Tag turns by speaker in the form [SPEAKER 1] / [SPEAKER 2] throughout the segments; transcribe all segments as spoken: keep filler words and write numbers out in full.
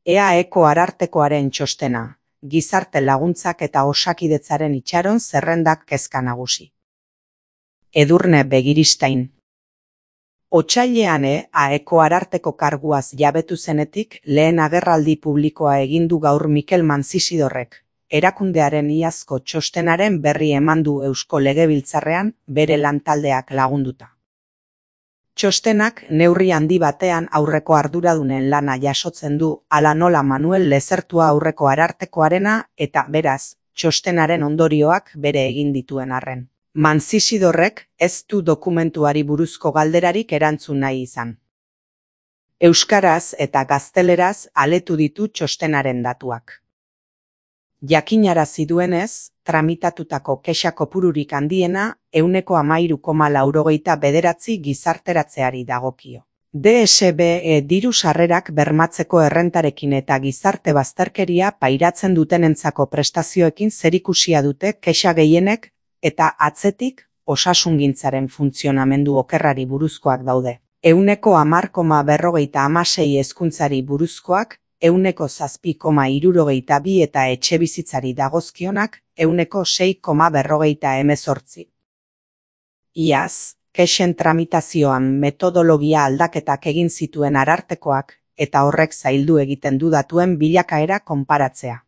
[SPEAKER 1] E A Eko Arartekoaren txostena, gizarte laguntzak eta osakidetzaren itxaron zerrendak kezka nagusi. Edurne Begiristain. Otsailean E A Eko Ararteko karguaz jabetu zenetik lehen agerraldi publikoa egin du gaur Mikel Manzisidorrek, erakundearen iazko txostenaren berri eman du Eusko Legebiltzarrean bere lantaldeak lagunduta. Txostenak neurri handi batean aurreko arduradunen lana jasotzen du, hala nola Manuel Lezertua aurreko Arartekoarena eta beraz, txostenaren ondorioak bere egin dituen arren. Manzisidorrek ez du dokumentuari buruzko galderarik erantzun nahi izan. Euskaraz eta gazteleraz aletu ditu txostenaren datuak. Jakinarazi duenez, tramitatutako kexa kopururik handiena ehuneko hamairu koma laurogeita bederatzi gizarteratzeari dagokio. D S B E diru sarrerak bermatzeko errentarekin eta gizarte bazterkeria pairatzen dutenentzako prestazioekin zerikusia dute kexa gehienek eta atzetik osasungintzaren funtzionamendu okerrari buruzkoak daude. Ehuneko hamar koma berrogeita hamasei hezkuntzari buruzkoak, ehuneko zazpi koma hirurogeita bi eta etxebizitzari dagozkionak, ehuneko sei koma berrogeita hemezortzi. Iaz, kexen tramitazioan metodologia aldaketak egin zituen Arartekoak, eta horrek zaildu egiten du datuen bilakaera konparatzea.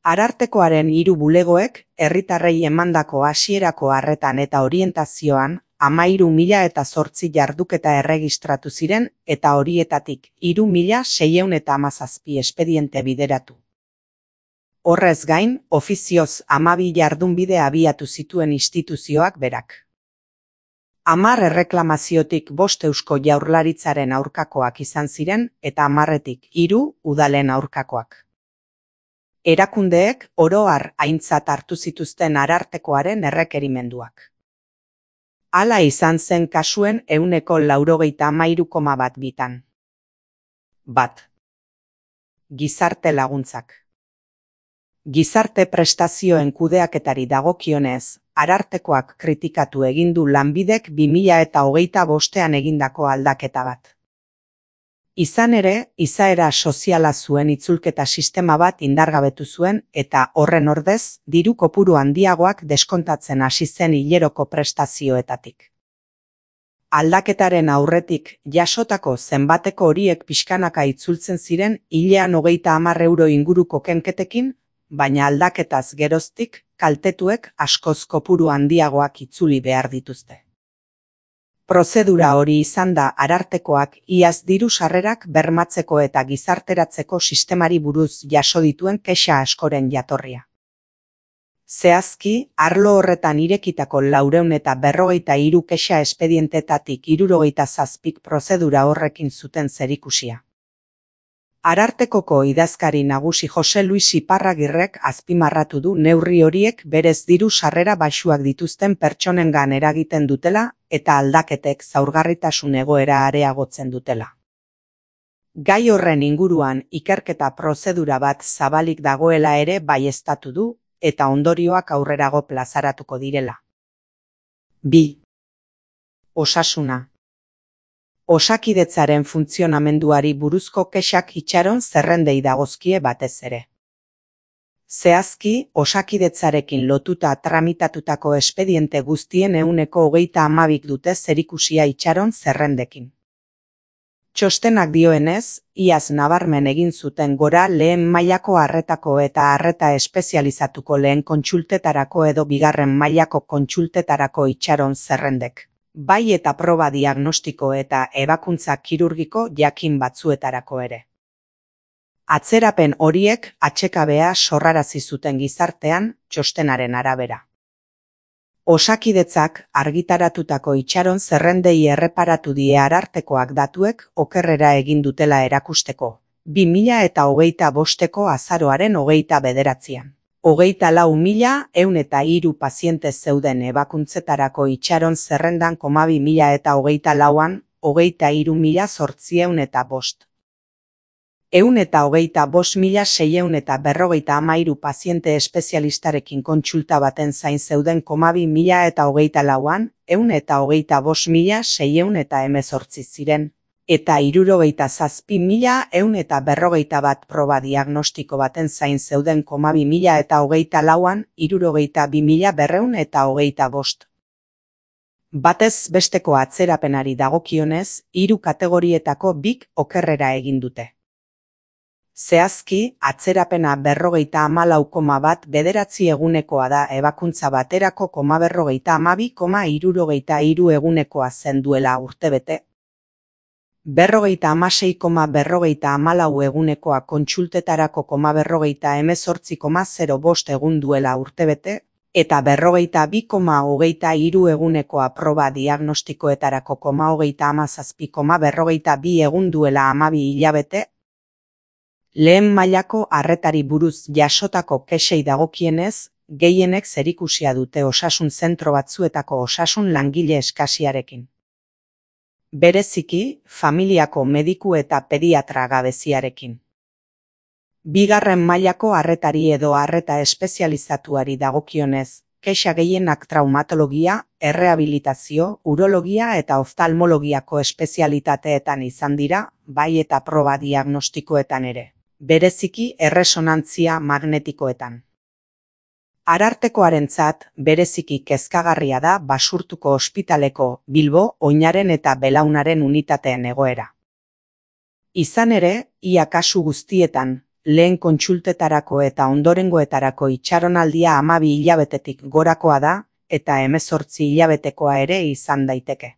[SPEAKER 1] Arartekoaren hiru bulegoek, herritarrei emandako hasierako arretan eta orientazioan, hamairu mila eta zortzi jarduketa erregistratu ziren eta horietatik hiru mila seiehun eta hamazazpi espediente bideratu. Horrez gain, ofizioz hamabi jardunbide abiatu zituen instituzioak berak. Hamar erreklamaziotik bost Eusko Jaurlaritzaren aurkakoak izan ziren eta hamarretik hiru udalen aurkakoak. Erakundeek oro har aintzat hartu zituzten Arartekoaren errekerimenduak. Hala izan zen kasuen ehuneko laurogeita hamairu koma bat bitan. Bat. Gizarte laguntzak. Gizarte prestazioen kudeaketari dagokionez, Arartekoak kritikatu egin du Lanbidek bi mila eta hogeita bostean egindako aldaketa bat. Izan ere, izaera soziala zuen itzulketa sistema bat indargabetu zuen eta horren ordez, diru kopuru handiagoak deskontatzen hasi zen hileroko prestazioetatik. Aldaketaren aurretik jasotako zenbateko horiek pixkanaka itzultzen ziren hilean hogeita hamar euro inguruko kenketekin, baina aldaketaz geroztik kaltetuek askoz kopuru handiagoak itzuli behar dituzte. Prozedura hori izan da Arartekoak iaz diru sarrerak bermatzeko eta gizarteratzeko sistemari buruz jaso dituen kexa askoren jatorria. Zehazki, arlo horretan irekitako laurehun eta berrogeita hiru kexa espedientetatik hirurogeita zazpik prozedura horrekin zuten zerikusia. Arartekoko idazkari nagusi Jose Luis Iparragirrek azpimarratu du neurri horiek berez diru sarrera baxuak dituzten pertsonengan eragiten dutela eta aldaketek zaurgarritasun egoera areagotzen dutela. Gai horren inguruan ikerketa prozedura bat zabalik dagoela ere baieztatu du eta ondorioak aurrerago plazaratuko direla. Bi. Osasuna. Osakidetzaren funtzionamenduari buruzko kexak itxaron zerrendei dagozkie batez ere. Zehazki, osakidetzarekin lotuta tramitatutako espediente guztien ehuneko hogeita hamabik dute zerikusia itxaron zerrendekin. Txostenak dioenez, iaz nabarmen egin zuten gora lehen mailako arretako eta arreta espezializatuko lehen kontsultetarako edo bigarren mailako kontsultetarako itxaron zerrendek. Bai eta proba diagnostiko eta ebakuntza kirurgiko jakin batzuetarako ere. Atzerapen horiek atsekabea sorrarazi zuten gizartean txostenaren arabera. Osakidetzak argitaratutako itxaron zerrendei erreparatu die Arartekoak datuek okerrera egin dutela erakusteko, bi mila eta hogeita bosteko azaroaren hogeita bederatzian. Hogeita lau mila ehun eta hiru paziente zeuden ebakuntzetarako itxaron zerrendan koma bi mila eta hogeita lauan, hogeita hiru mila zortziehun eta bost. Ehun eta hogeita bost mila seiehun eta berrogeita hamairu paziente espezialistarekin kontsulta baten zain zeuden koma bi mila eta hogeita lauan, ehun eta hogeita bost mila seiehun eta hemezortzi ziren, eta hirurogeita zazpi mila ehun eta berrogeita bat proba diagnostiko baten zain zeuden koma bi mila eta hogeita lauan hirurogeita bi mila berrehun eta hogeita bost. Batez besteko atzerapenari dagokionez, hiru kategorietako bik okerrera egin dute. Zehazki, atzerapena berrogeita hamalau koma bat bederatzi egunekoa da ebakuntza baterako koma berrogeita hamabi koma hirurogeita hiru egunekoa zen duela urtebete. Berrogeita hamasei koma berrogeita hamalau egunekoa kontsultetarako koma berrogeita hemezortzi koma zero bost egun duela urtebete, eta berrogeita bi koma hogeita hiru egunekoa proba diagnostikoetarako koma hogeita hamazazpi koma berrogeita bi egun duela hamabi hilabete. Lehen mailako arretari buruz jasotako kexei dagokienez, gehienek zerikusia dute osasun zentro batzuetako osasun langile eskasiarekin. Bereziki, familiako mediku eta pediatra gabeziarekin. Bigarren mailako arretari edo arreta espezializatuari dagokionez, kexa gehienak traumatologia, errehabilitazio, urologia eta oftalmologiako espezialitateetan izan dira, bai eta proba diagnostikoetan ere. Bereziki erresonantzia magnetikoetan. Arartekoarentzat bereziki kezkagarria da Basurtuko ospitaleko Bilbo, Oinaren eta Belaunaren unitateen egoera. Izan ere, ia kasu guztietan, lehen kontsultetarako eta ondorengoetarako itxaronaldia hamabi hilabetetik gorakoa da, eta hemezortzi hilabetekoa ere izan daiteke.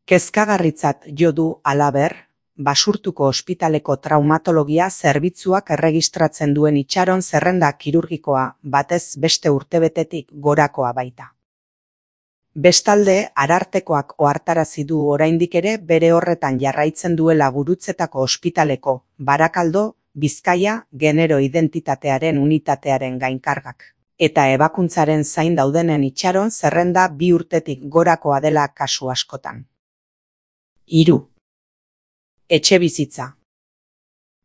[SPEAKER 1] Kezkagarritzat jo du halaber, Basurtuko ospitaleko traumatologia zerbitzuak erregistratzen duen itxaron zerrenda kirurgikoa batez beste urtebetetik gorakoa baita. Bestalde, Arartekoak ohartarazi du oraindik ere bere horretan jarraitzen duela Gurutzetako ospitaleko, Barakaldo, Bizkaia, genero identitatearen unitatearen gainkargak. Eta ebakuntzaren zain daudenen itxaron zerrenda bi urtetik gorakoa dela kasu askotan. Hiru. Etxebizitza.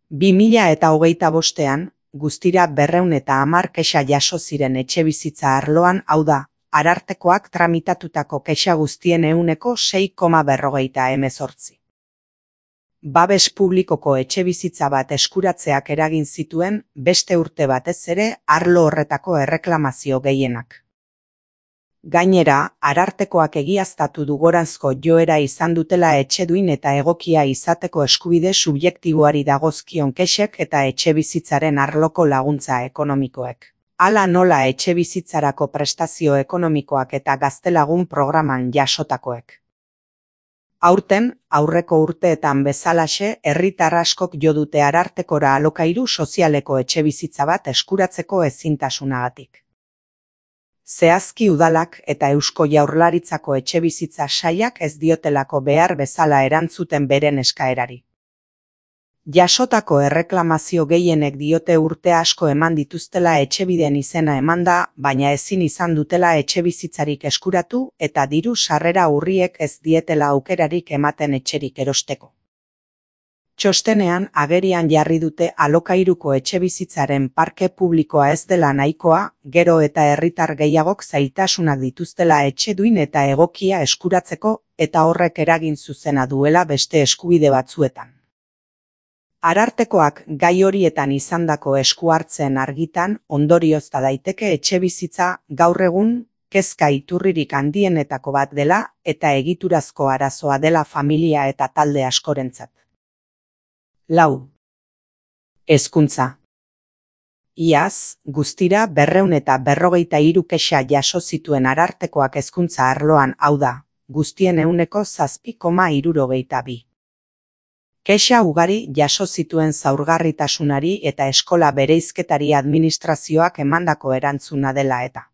[SPEAKER 1] Bi mila eta hogeita bostean, guztira berrehun eta hamar kexa jaso ziren etxebizitza arloan, hau da, Arartekoak tramitatutako kexa guztien ehuneko sei koma berrogeita hemezortzi. Babes publikoko etxebizitza bat eskuratzeak eragin zituen beste urte batez ere arlo horretako erreklamazio gehienak. Gainera, Arartekoak egiaztatu du goranzko joera izan dutela etxeduin eta egokia izateko eskubide subjektiboari dagozkion kexek eta etxebizitzaren arloko laguntza ekonomikoek. Hala nola etxebizitzarako prestazio ekonomikoak eta gaztelagun programan jasotakoek. Aurten, aurreko urteetan bezalaxe, herritar askok jo dute Arartekora alokairu sozialeko etxebizitza bat eskuratzeko ezintasunagatik. Zehazki udalak eta Eusko Jaurlaritzako etxebizitza sailak ez diotelako behar bezala erantzuten beren eskaerari. Jasotako erreklamazio gehienek diote urte asko eman dituztela etxebiden izena emanda, baina ezin izan dutela etxebizitzarik eskuratu eta diru sarrera urriek ez dietela aukerarik ematen etxerik erosteko. Txostenean agerian jarri dute alokairuko etxebizitzaren parke publikoa ez dela nahikoa, gero eta herritar gehiagok zailtasunak dituztela etxeduin eta egokia eskuratzeko eta horrek eragin zuzena duela beste eskubide batzuetan. Arartekoak gai horietan izandako esku hartzen argitan ondoriozta daiteke etxebizitza gaur egun kezka iturririk handienetako bat dela eta egiturazko arazoa dela familia eta talde askorentzat. Lau. Hezkuntza. Iaz, guztira berrehun eta berrogeita hiru kexa jaso zituen Arartekoak hezkuntza arloan, hau da, guztien ehuneko zazpi koma hirurogeita bi. Kexa ugari jaso zituen zaurgarritasunari eta eskola bereizketari administrazioak emandako erantzuna dela eta.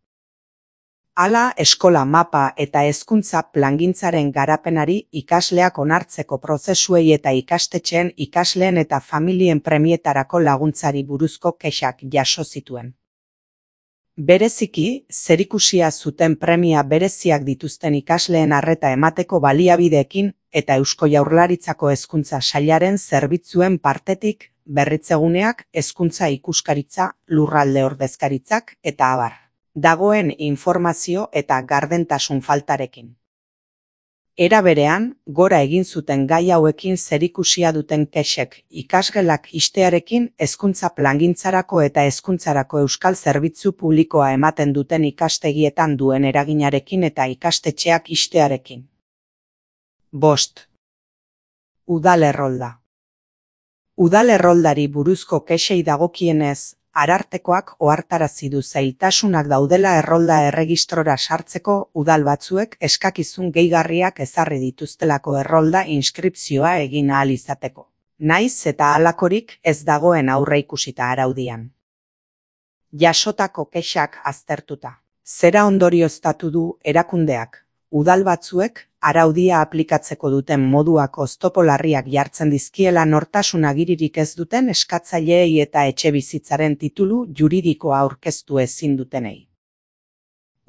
[SPEAKER 1] Hala, eskola mapa eta hezkuntza plangintzaren garapenari ikasleak onartzeko prozesuei eta ikastetxeen ikasleen eta familien premietarako laguntzari buruzko kexak jaso zituen. Bereziki, zerikusia zuten premia bereziak dituzten ikasleen arreta emateko baliabideekin eta Eusko Jaurlaritzako hezkuntza sailaren zerbitzuen partetik, berritzeguneak, hezkuntza ikuskaritza, lurralde ordezkaritzak eta abar. Dagoen informazio eta gardentasun faltarekin. Era berean, gora egin zuten gai hauekin zerikusia duten kexek ikasgelak ixtearekin, hezkuntza plangintzarako eta hezkuntzarako euskal zerbitzu publikoa ematen duten ikastegietan duen eraginarekin eta ikastetxeak ixtearekin. Bost. Udal errolda. Udal erroldari buruzko kexei dagokienez, Arartekoak ohartarazi du zailtasunak daudela errolda erregistrora sartzeko udal batzuek eskakizun gehigarriak ezarri dituztelako errolda inskripzioa egin ahal izateko. Naiz eta halakorik ez dagoen aurreikusita araudian. Jasotako kexak aztertuta. Zera ondorioztatu du erakundeak, udal batzuek araudia aplikatzeko duten moduak oztopo larriak jartzen dizkiela nortasun agiririk ez duten eskatzaileei eta etxebizitzaren titulu juridikoa aurkeztu ezin dutenei.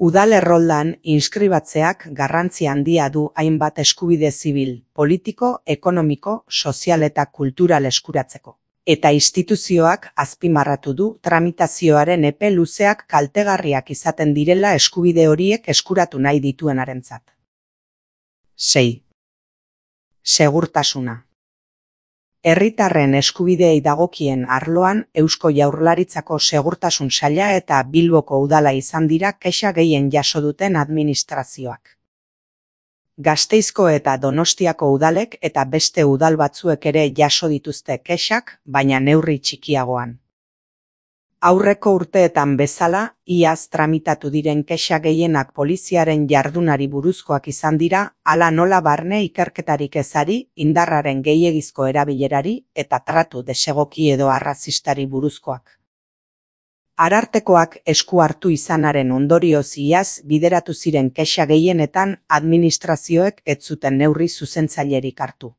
[SPEAKER 1] Udal erroldan inskribatzeak garrantzi handia du hainbat eskubide zibil, politiko, ekonomiko, sozial eta kultural eskuratzeko. Eta instituzioak azpimarratu du tramitazioaren epe luzeak kaltegarriak izaten direla eskubide horiek eskuratu nahi dituenarentzat. sei. Segurtasuna. Herritarren eskubideei dagokien arloan Eusko Jaurlaritzako Segurtasun Saila eta Bilboko udala izan dira kexa gehien jaso duten administrazioak. Gasteizko eta Donostiako udalek eta beste udal batzuek ere jaso dituzte kexak, baina neurri txikiagoan. Aurreko urteetan bezala, iaz tramitatu diren kexa gehienak poliziaren jardunari buruzkoak izan dira, hala nola barne ikerketarik ezari, indarraren gehiegizko erabilerari eta tratu desegoki edo arrazistari buruzkoak. Arartekoak esku hartu izanaren ondorioz iaz bideratu ziren kexa gehienetan administrazioek ez zuten neurri zuzentzailerik hartu.